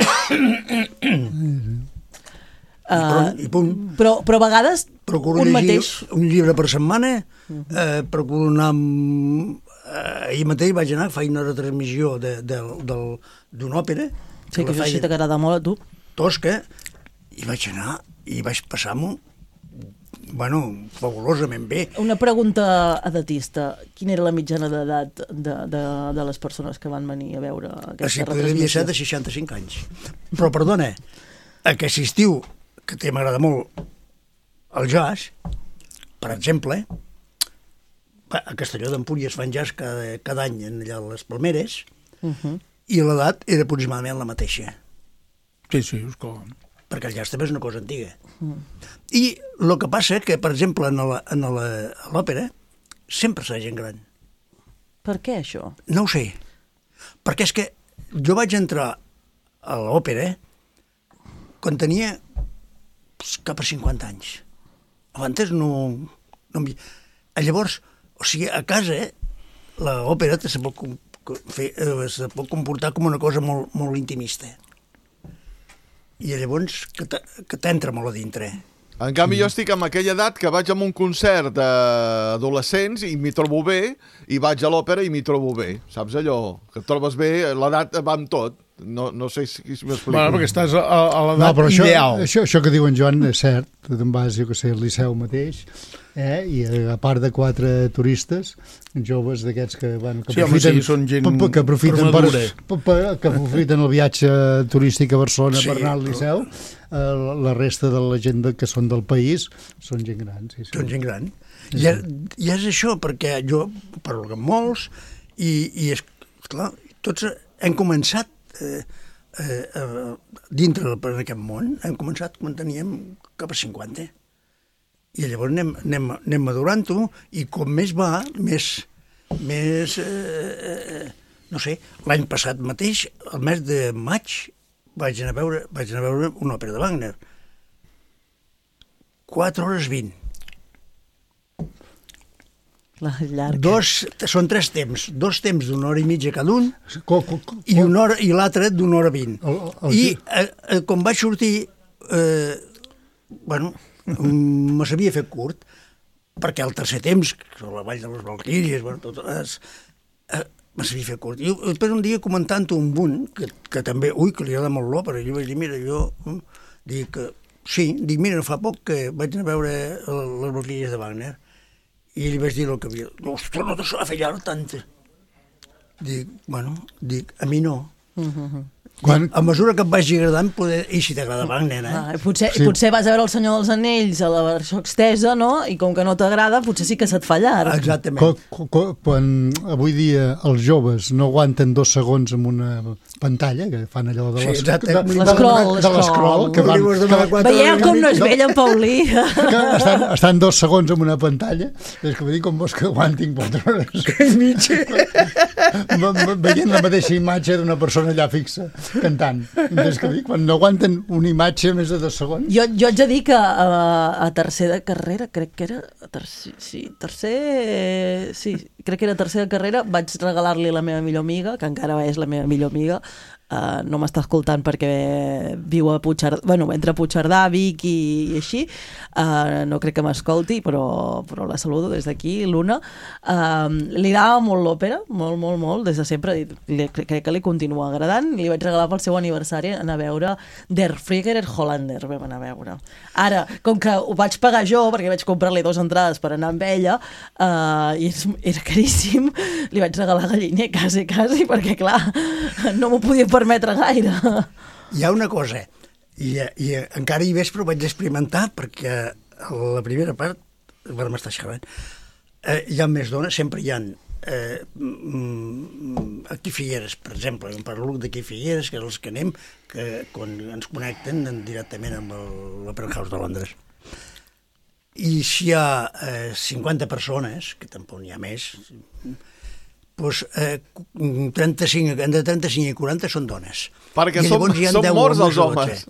I punt. Però a vegades procuro llegir un llibre per setmana, procuro anar ahir mateix vaig anar a fer una retransmissió d'una òpera. Sí, que això sí t'agrada molt a tu. Tosca, i vaig anar i vaig passar-m'ho fabulosament bé. Una pregunta edatista. Quina era la mitjana d'edat de les persones que van venir a veure aquesta retransmissió? Devia ser de 65 anys. Però, perdona, aquest estiu, que m'agrada molt el jazz, per exemple, a Castelló d'Empúries fan jazz cada any allà a les Palmeres, i l'edat era aproximadament la mateixa. Sí, és com... Perquè el jazz també és una cosa antiga. I el que passa que, per exemple, a l'òpera sempre s'ha gent gran. Per què, això? No ho sé. Perquè és que jo vaig entrar a l'òpera quan tenia cap a 50 anys. Abans no... Llavors, o sigui, a casa l'òpera se pot comportar com una cosa molt, molt intimista. I llavors que t'entra molt a dintre. En canvi, jo estic amb aquella edat que vaig a un concert d'adolescents i m'hi trobo bé, i vaig a l'òpera i m'hi trobo bé. Saps allò? Que et trobes bé, l'edat va amb tot. No sé si m'explico. Bueno, perquè estàs a l'edat ideal. Això que diu en Joan és cert. Tu te'n vas, jo que sé, al Liceu mateix, i a part de 4 turistes, joves d'aquests que aprofiten el viatge turístic a Barcelona per anar al Liceu, la resta de la gent que són del país són gent gran. Són gent gran. I és això, perquè jo parlo amb molts i és clar, tots hem començat dintre d'aquest món, hem començat quan teníem cap a 50. I llavors anem madurant-ho, i com més va, més no sé, l'any passat mateix, el mes de maig, vaig anar a veure una òpera de Wagner. 4 hores 20. Són 3 temps, 2 temps d'1 hora i mitja cada un, i l'altre d'1 hora 20. I quan vaig sortir, me s'havia fet curt, perquè el tercer temps, la Vall de les Valquíries, me s'havia fet curt. I després un dia comentant-ho amb un, que també, que li agrada molt l'òpera, jo vaig dir, mira, mira, no fa poc que vaig anar a veure les Valquíries de Wagner, i li vaig dir el que havia... Ostres, no te s'ha fet llarg tant. Dic, a mi no. A mesura que et vagi agradant, i si t'agrada Wagner, Potser vas a veure El Senyor dels Anells a la versió extesa, no? I com que no t'agrada, potser sí que se't fa llarg. Exactament. Quan avui dia els joves no aguanten 2 segons en una pantalla, que fan allò de l'escroll. Veieu com no és vell en Paulí? Estan 2 segons en una pantalla, és que vull dir, com vols que aguantin 4 hores? Que mitja! Veient la mateixa imatge d'una persona allà fixa, cantant. És que dic, quan no aguanten una imatge més de 2 segons... Jo haig de dir que a tercer de carrera, crec que era tercer de carrera, vaig regalar-li a la meva millor amiga, que encara és la meva millor amiga, no m'està escoltant perquè viu a Puigcerdà, entre Puigcerdà, Vic i així, no crec que m'escolti, però la saludo des d'aquí, l'Una. Li agrada molt l'òpera, molt, des de sempre, crec que li continua agradant. Li vaig regalar pel seu aniversari anar a veure Der Flieger Hollander, vam anar a veure. Ara, com que ho vaig pagar jo, perquè vaig comprar-li 2 entrades per anar amb ella, i era caríssim, li vaig regalar galliner, quasi, perquè clar, no m'ho podia permetre gaire. Hi ha una cosa, i encara hi ves, però vaig experimentar, perquè a la primera part, ara m'està xerrant, hi ha més dones, sempre hi ha aquí Figueres, per exemple, em parlo d'aquí Figueres, que és els que anem, que quan ens connecten directament amb l'Opera House de Londres. I si hi ha 50 persones, que tampoc n'hi ha més, doncs entre 35 i 40 són dones. Perquè som morts els homes.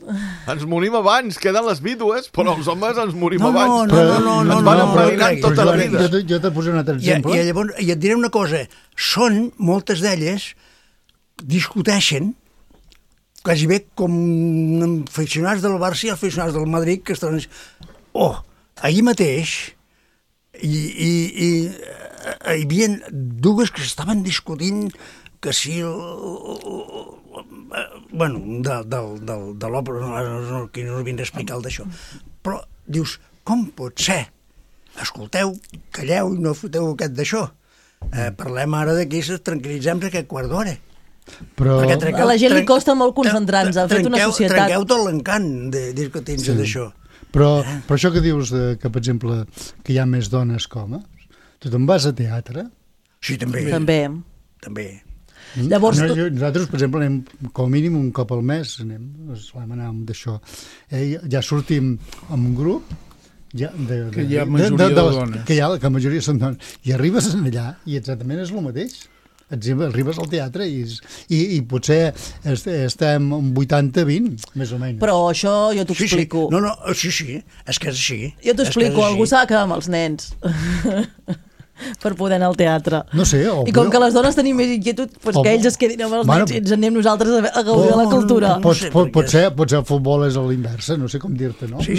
Ens morim abans, queden les vídues, però els homes ens morim abans. No, ens van emprenyant tota la vida. Jo t'he posat un altre exemple. I et diré una cosa, moltes d'elles discuteixen quasi bé com aficionats del Barça i aficionats del Madrid, que estan... ahir mateix hi havia 2 que s'estaven discutint que si de l'òpera, no vinc a explicar el d'això, però dius, com pot ser? Escolteu, calleu i no foteu aquest d'això. Parlem ara d'aquí, tranquil·litzem-nos aquest quart d'hora. Però a la gent li costa molt concentrar-nos, ha fet una societat... Trenqueu tot l'encant de dir que tens d'això. Però això que dius, que per exemple, que hi ha més dones que homes, tu te'n vas a teatre? Sí, també. També. Llavors... Nosaltres, per exemple, anem com a mínim un cop al mes, solem anar d'això. Ja sortim amb un grup, que hi ha majoria de dones. Que la majoria són dones. I arribes allà i exactament és el mateix. Arribes al teatre i potser estem en 80-20, més o menys. Però això jo t'ho explico. Sí, és que és així. Jo t'ho explico, algú s'ha de quedar amb els nens. per poder anar al teatre. No sé. I com que les dones tenim més inquietud, doncs que ells es quedin amb els nens i ens anem nosaltres a gaudir de la cultura. Potser el futbol és a l'inversa, no sé com dir-te, no? Sí.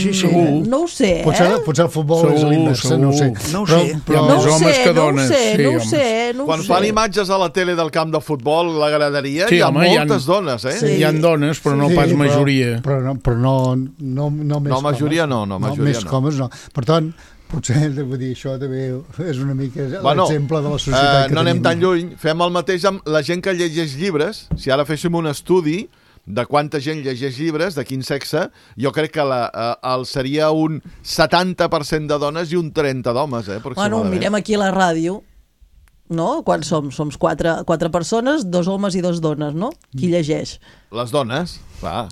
No ho sé, Potser el futbol és a l'inversa, no ho sé. No ho sé. No ho sé. Quan fan imatges a la tele del camp de futbol, la graderia, hi ha moltes dones, eh? Hi ha dones, però no pas majoria. Però no més majoria no. Més homes no. Per tant, potser, vull dir, això també és una mica l'exemple de la societat que tenim. No anem tan lluny. Fem el mateix amb la gent que llegeix llibres. Si ara féssim un estudi de quanta gent llegeix llibres, de quin sexe, jo crec que seria un 70% de dones i un 30% d'homes, Bueno, mirem aquí a la ràdio, no? Quan som? Som 4 persones, 2 homes i 2 dones, no? Qui llegeix? Les dones, clar.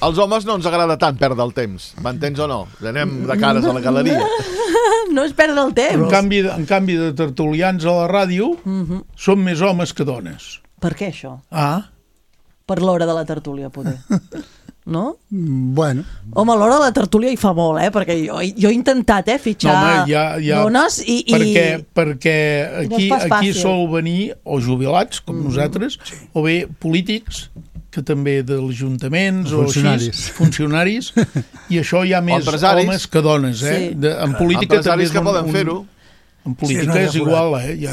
Als homes no ens agrada tant perdre el temps, m'entens o no? Anem de cares a la galeria. No és perdre el temps. En canvi de tertulians a la ràdio, són més homes que dones. Per què això? Per l'hora de la tertúlia, poder. No? Bueno. Home, a l'hora de la tertúlia hi fa molt, perquè jo he intentat fitxar dones i... Perquè aquí sol venir o jubilats, com nosaltres, o bé polítics, que també dels ajuntaments o funcionaris, i això hi ha més homes que dones, en política també és que poden fer-ho. En política és igual, hi ha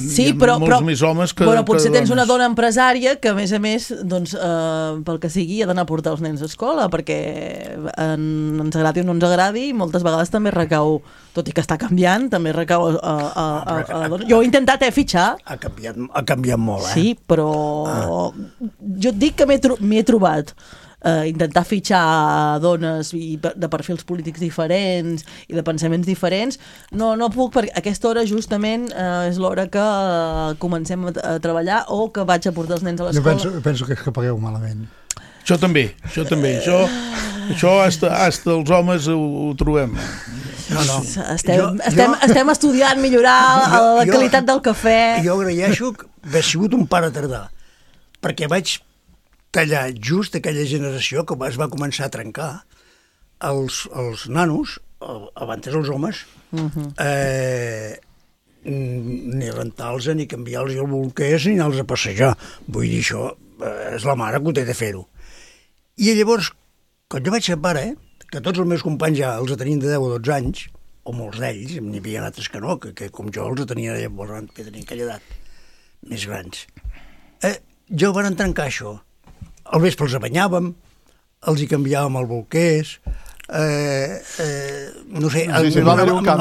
molts més homes que dones. Potser tens una dona empresària que, a més, doncs, pel que sigui, ha d'anar a portar els nens a escola, perquè ens agradi o no ens agradi, moltes vegades també recau, tot i que està canviant, també recau a la dona. Jo he intentat fitxar. Ha canviat molt, Sí, però jo et dic que m'hi he trobat. Intentar fitxar dones de perfils polítics diferents i de pensaments diferents, no puc, perquè a aquesta hora justament és l'hora que comencem a treballar o que vaig a portar els nens a l'escola. Jo penso que és que pagueu malament. Això també. Això hasta els homes ho trobem. No. Estem estudiant millorar la qualitat del cafè. Jo agraeixo haver sigut un pare tardà, perquè vaig tallar just aquella generació que es va començar a trencar els nanos, abans els homes, ni rentar-los, ni canviar-los el bolquers, ni anar-los a passejar. Vull dir, això és la mare que ho té de fer-ho. I llavors, quan jo vaig ser pare, que tots els meus companys ja els tenien de 10 o 12 anys, o molts d'ells, n'hi havia altres que no, que com jo els tenien llavors, tenien aquella edat, més grans. Jo van trencar això. Al vespre els banyàvem, els hi canviàvem el bolquers, no sé, el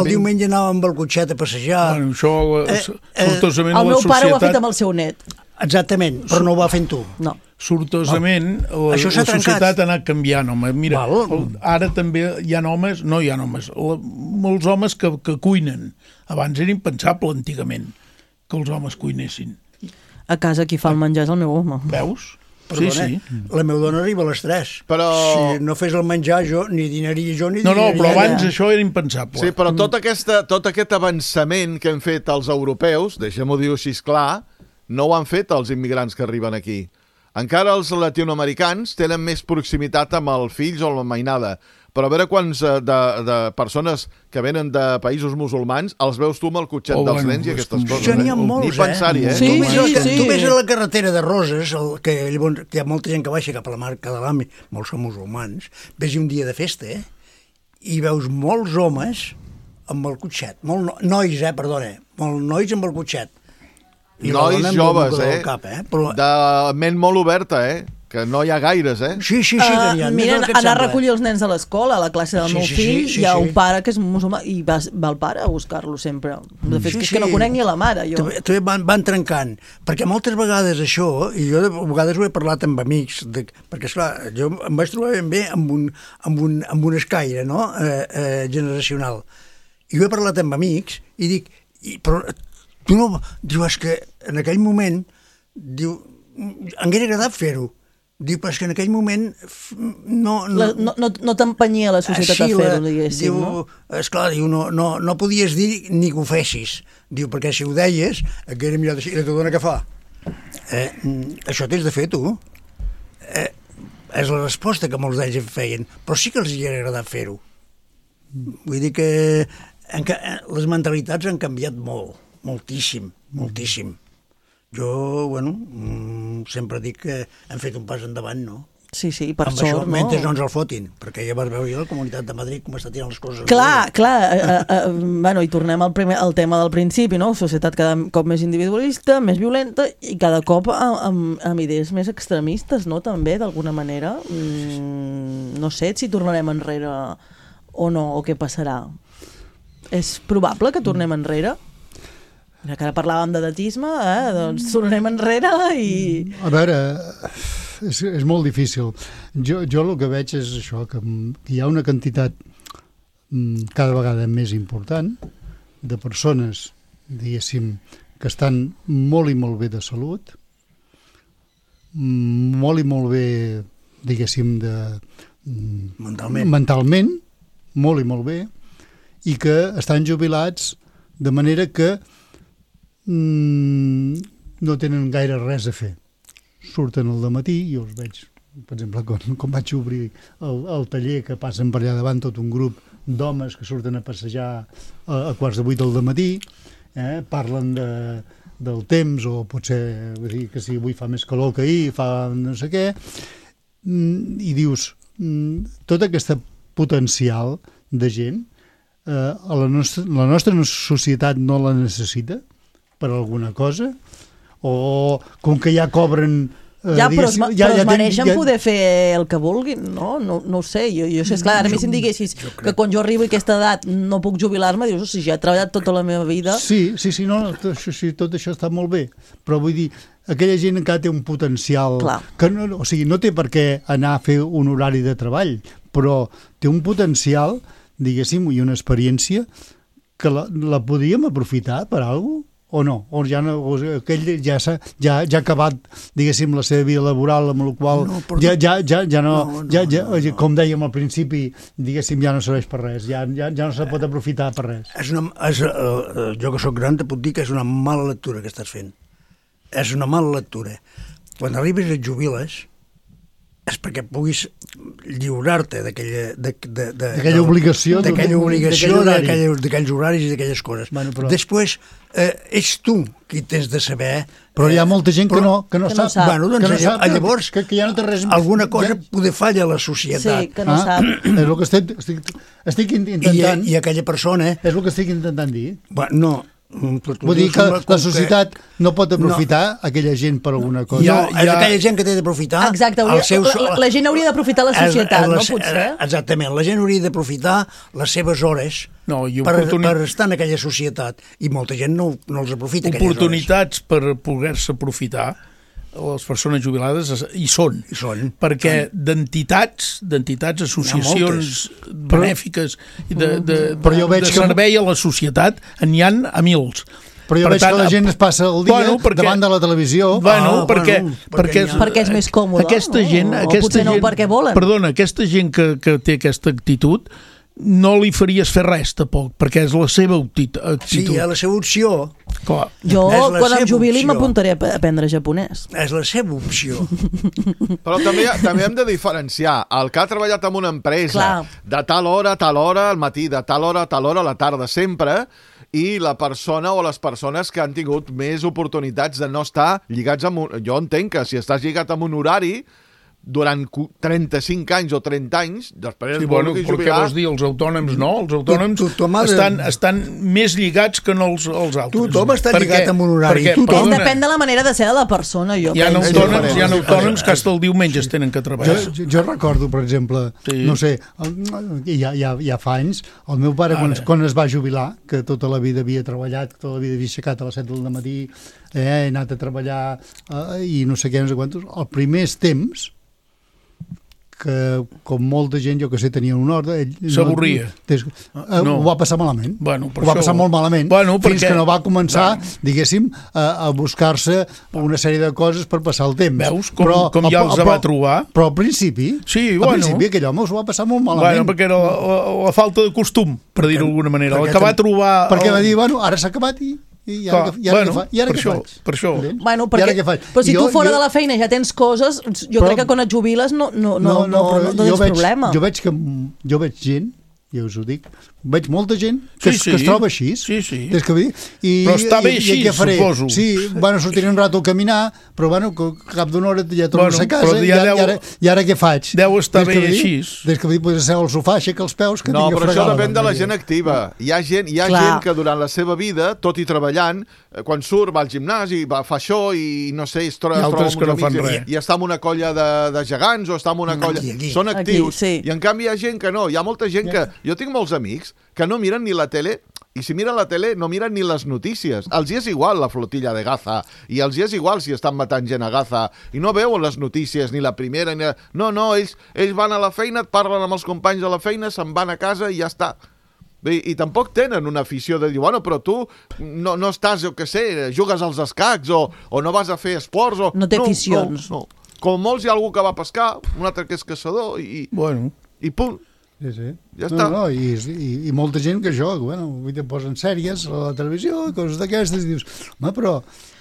diumenge anàvem amb el cotxet a passejar. Sortosament el meu pare ho ha fet amb el seu net. Exactament, però no ho va fent tu. No. Sortosament, la societat ha anat canviant, home. Mira, ara també hi ha homes, molts homes que cuinen. Abans era impensable, antigament, que els homes cuinessin. A casa qui fa el menjar és el meu home. Veus? Perdona, la meva dona arriba a les 3. Però... Si no fes el menjar jo, ni dinaria jo, ni dinaria però abans això era impensable. Sí, però tot aquest avançament que hem fet els europeus, deixem-ho dir així clar, no ho han fet els immigrants que arriben aquí. Encara els latinoamericans tenen més proximitat amb els fills o la mainada, però a veure quants de persones que venen de països musulmans els veus tu amb el cotxet dels nens i aquestes coses. Ja n'hi ha molts, Ni pensar-hi, Tu ves a la carretera de Roses, que hi ha molta gent que baixa cap a la marca de l'AMI, molts són musulmans, ves un dia de festa, i veus molts homes amb el cotxet, molts nois amb el cotxet. Nois joves, de ment molt oberta, que no hi ha gaires, Sí, mira, anar a recollir els nens a l'escola, a la classe del meu fill, hi ha un pare que és musulmà i va el pare a buscar-lo sempre. De fet, és que no conec ni a la mare, jo. També van trencant, perquè moltes vegades això, i jo a vegades ho he parlat amb amics, perquè esclar, jo em vaig trobar ben bé amb un escaire, no?, generacional. I ho he parlat amb amics i dic, però tu no... Diu, és que en aquell moment, diu, em hauria agradat fer-ho. Diu, però és que en aquell moment no t'empenyia la societat a fer-ho, diguéssim, no? Esclar, diu, no podies dir ni que ho fessis. Diu, perquè si ho deies, et hauria mirat així, i la teva dona què fa? Això tens de fer, tu. És la resposta que molts d'ells feien, però sí que els hauria agradat fer-ho. Vull dir que les mentalitats han canviat molt, moltíssim, moltíssim. Jo, sempre dic que hem fet un pas endavant, no? Sí, per amb sort, això, no? mentre no ens el fotin, perquè ja vas veure la Comunitat de Madrid com està tirant les coses. Clar, i tornem al tema del principi, no? Societat cada cop més individualista, més violenta i cada cop amb idees més extremistes, no? També, d'alguna manera. No sé si tornarem enrere o no, o què passarà. És probable que tornem enrere? Que ara parlàvem de datisme, doncs tornem enrere i... A veure, és molt difícil. Jo el que veig és això, que hi ha una quantitat cada vegada més important de persones, diguéssim, que estan molt i molt bé de salut, molt i molt bé, diguéssim, mentalment, molt i molt bé, i que estan jubilats de manera que no tenen gaire res a fer. Surten al dematí, jo els veig, per exemple, quan vaig obrir el taller, que passen per allà davant tot un grup d'homes que surten a passejar a quarts de 8 del dematí, parlen del temps, o potser que si avui fa més calor que ahir, fa no sé què, i dius, tot aquest potencial de gent, la nostra societat no la necessita per alguna cosa, o com que ja cobren... Però es mereixen poder fer el que vulguin, no? No ho sé, jo sé, esclar, ara si em diguessis que quan jo arribo a aquesta edat no puc jubilar-me, dius, si ja he treballat tota la meva vida... Sí, tot això està molt bé, però vull dir, aquella gent encara té un potencial que no té per què anar a fer un horari de treball, però té un potencial, diguéssim, i una experiència que la podríem aprofitar per alguna cosa? O no? O ja no, aquell ja ha acabat, diguéssim, la seva vida laboral, amb la qual com dèiem al principi, diguéssim, ja no serveix per res, ja no se pot aprofitar per res. Jo que sóc gran te puc dir que és una mala lectura que estàs fent. És una mala lectura. Quan arribes i et jubiles és perquè puguis lliurar-te d'aquella obligació, d'aquells horaris i d'aquelles coses. Després, ets tu qui tens de saber... Però hi ha molta gent que no sap. Llavors, alguna cosa poder falla a la societat. Sí, que no sap. És el que estic intentant... I aquella persona... És el que estic intentant dir. No... Vull dir que la societat no pot aprofitar aquella gent per alguna cosa. És aquella gent que té d'aprofitar... Exacte, la gent hauria d'aprofitar la societat, no potser? Exactament, la gent hauria d'aprofitar les seves hores per estar en aquella societat, i molta gent no els aprofita aquelles hores. Oportunitats per poder-se aprofitar les persones jubilades hi són. Perquè d'entitats, associacions benèfiques de servei a la societat n'hi ha a mils. Però jo veig que la gent es passa el dia davant de la televisió. Perquè és més còmode. Aquesta gent, potser no perquè volen. Perdona, aquesta gent que té aquesta actitud no li faries fer res, tampoc, perquè és la seva actitud. Sí, és la seva opció. Clar. Jo, quan em jubili, m'apuntaré a aprendre japonès. És la seva opció. Però també hem de diferenciar el que ha treballat en una empresa de tal hora a tal hora al matí, de tal hora a la tarda, sempre, i la persona o les persones que han tingut més oportunitats de no estar lligats amb un... Jo entenc que si estàs lligat amb un horari durant 35 anys o 30 anys, després sí, bueno, però què vols dir? Els autònoms no? Els autònoms estan més lligats que no els altres. Tothom està lligat amb un horari. Depèn de la manera de ser de la persona, jo penso. Hi ha autònoms que fins al diumenge es tenen que treballar. Jo recordo, per exemple, no sé, ja fa anys, el meu pare, quan es va jubilar, que tota la vida havia treballat, tota la vida havia aixecat a les 7 del matí, he anat a treballar i no sé què, no sé quantos, els primers temps que, com molta gent, jo que sé, tenia un ordre... S'avorria. Ho va passar malament. Ho va passar molt malament, fins que no va començar, diguéssim, a buscar-se una sèrie de coses per passar el temps. Veus? Com ja els va trobar. Però al principi, aquell home s'ho va passar molt malament. Perquè era la falta de costum, per dir-ho d'alguna manera. El que va trobar... Perquè va dir, ara s'ha acabat i ara què faig? Per això. Però si tu fora de la feina ja tens coses, jo crec que quan et jubiles no tens problema. Jo veig gent, ja us ho dic, veig molta gent que es troba així. Sí. Però està bé així, suposo. Sí, sortiré un rato a caminar, però cap d'una hora ja torno a casa i ara què faig? Deu estar bé així. Des que podria ser al sofà, aixeca els peus, que no, tinc a fregar. No, però això depèn de la gent activa. Hi ha gent que durant la seva vida, tot i treballant, quan surt, va al gimnàs i fa això i no sé, es troba amb uns amics i està en una colla de gegants o està en una colla... Són actius. I en canvi hi ha gent que no. Hi ha molta gent que... Jo tinc molts amics que no miren ni la tele i si miren la tele no miren ni les notícies. Els hi és igual la flotilla de Gaza i els hi és igual si estan matant gent a Gaza i no veuen les notícies ni la primera ni la... No, ells van a la feina, et parlen amb els companys de la feina, se'n van a casa i ja està. I tampoc tenen una afició de dir, bueno, però tu no estàs, jo què sé, jugues als escacs o no vas a fer esports o... No té aficions. No. Com molts hi ha algú que va pescar, un altre que és caçador i punt. Sí. Ja està. I molta gent que joga, avui te posen sèries a la televisió, coses d'aquestes, i dius, home, però...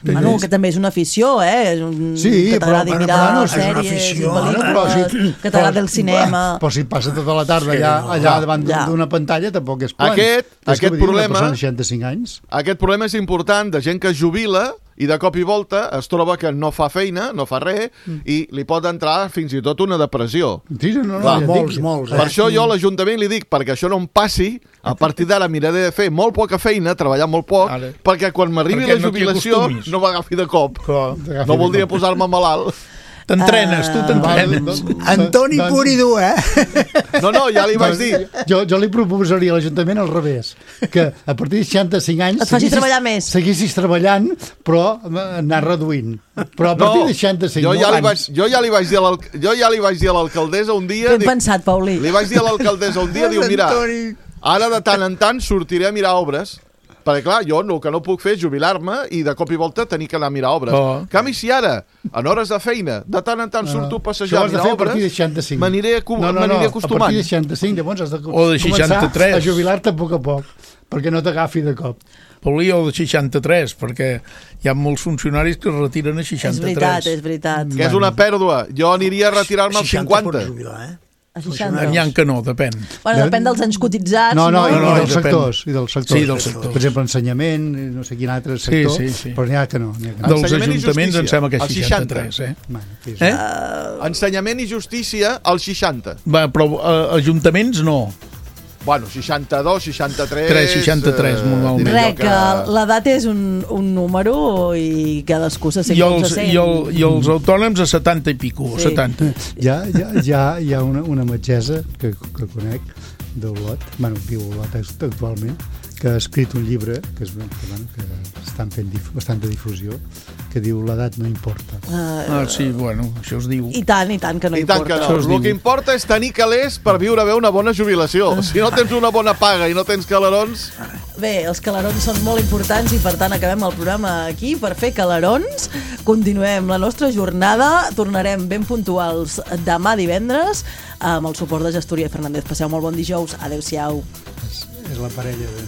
que també és una afició, que t'agradi mirar sèries, pel·lícules, que t'agradi el cinema... Però si passa tota la tarda allà davant d'una pantalla, tampoc és plan. Aquest problema... Una persona de 65 anys. Aquest problema és important de gent que es jubila i de cop i volta es troba que no fa feina, no fa res, i li pot entrar fins i tot una depressió. Sí, no, molts. Per això jo a l'Ajuntament li dic, perquè això no em passi, a partir d'ara miraré de fer molt poca feina, treballar molt poc, perquè quan m'arribi la jubilació no m'agafi de cop. No voldria posar-me malalt. T'entrenes, tu t'entrenes. Antoni pur i dur, No, ja li vaig dir. Jo li proposaria a l'Ajuntament al revés, que a partir de 65 anys et facis treballar més. Seguissis treballant, però anar reduint. Però a partir de 65 anys... Jo ja li vaig dir a l'alcaldessa un dia... Ben pensat, Paulí. Li vaig dir a l'alcaldessa un dia, diu, mira, ara de tant en tant sortiré a mirar obres, perquè clar, jo el que no puc fer és jubilar-me i de cop i volta tenir que anar a mirar obres. En canvi, si ara, en hores de feina, de tant en tant surto a passejar a mirar obres, m'aniré acostumant. A partir de 65, llavors has de començar a jubilar-te a poc a poc, perquè no t'agafi de cop. Paulí, o de 63, perquè hi ha molts funcionaris que es retiren a 63. És veritat. Que és una pèrdua. Jo aniria a retirar-me als 50. A 60. N'hi ha que no, depèn. Bueno, depèn dels anys cotitzats. No, i dels sectors. Sí, dels sectors. Per exemple, ensenyament, no sé quin altre sector, però n'hi ha que no. Dels ajuntaments em sembla que és 63, Ensenyament i justícia, als 60. Però ajuntaments no. Bueno, 62, 63... 63, normalment. Que l'edat és un número i cadascú se sent com se sent. I els autònoms a 70 i pico, 70. Hi ha una metgessa que conec d'Olot, viu a Olot actualment, que ha escrit un llibre que estan fent bastanta difusió, que diu l'edat no importa. Sí, bueno, això es diu. I tant que no importa. El que importa és tenir calés per viure bé una bona jubilació. Si no tens una bona paga i no tens calarons... Bé, els calarons són molt importants i per tant acabem el programa aquí per fer calarons. Continuem la nostra jornada, tornarem ben puntuals demà divendres amb el suport de Gestoria Fernández. Passeu molt bon dijous. Adéu-siau. És la parella d'en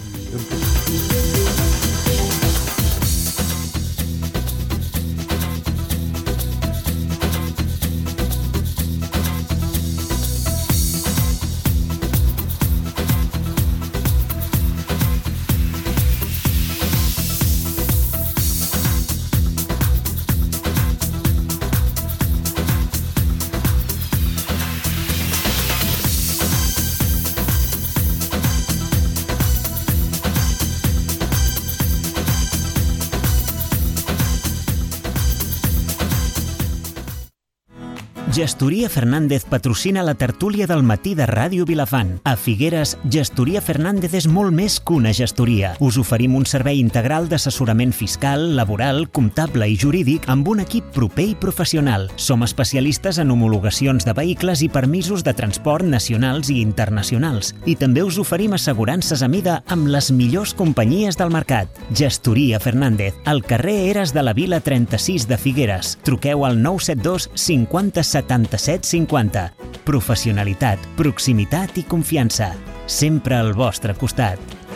Gestoria Fernández patrocina la tertúlia del matí de Ràdio Vilafant. A Figueres, Gestoria Fernández és molt més que una gestoria. Us oferim un servei integral d'assessorament fiscal, laboral, comptable i jurídic amb un equip proper i professional. Som especialistes en homologacions de vehicles i permisos de transport nacionals i internacionals. I també us oferim assegurances a mida amb les millors companyies del mercat. Gestoria Fernández, al carrer Eres de la Vila 36 de Figueres. Truqueu al 972 50 77 50. Professionalitat, proximitat i confiança. Sempre al vostre costat.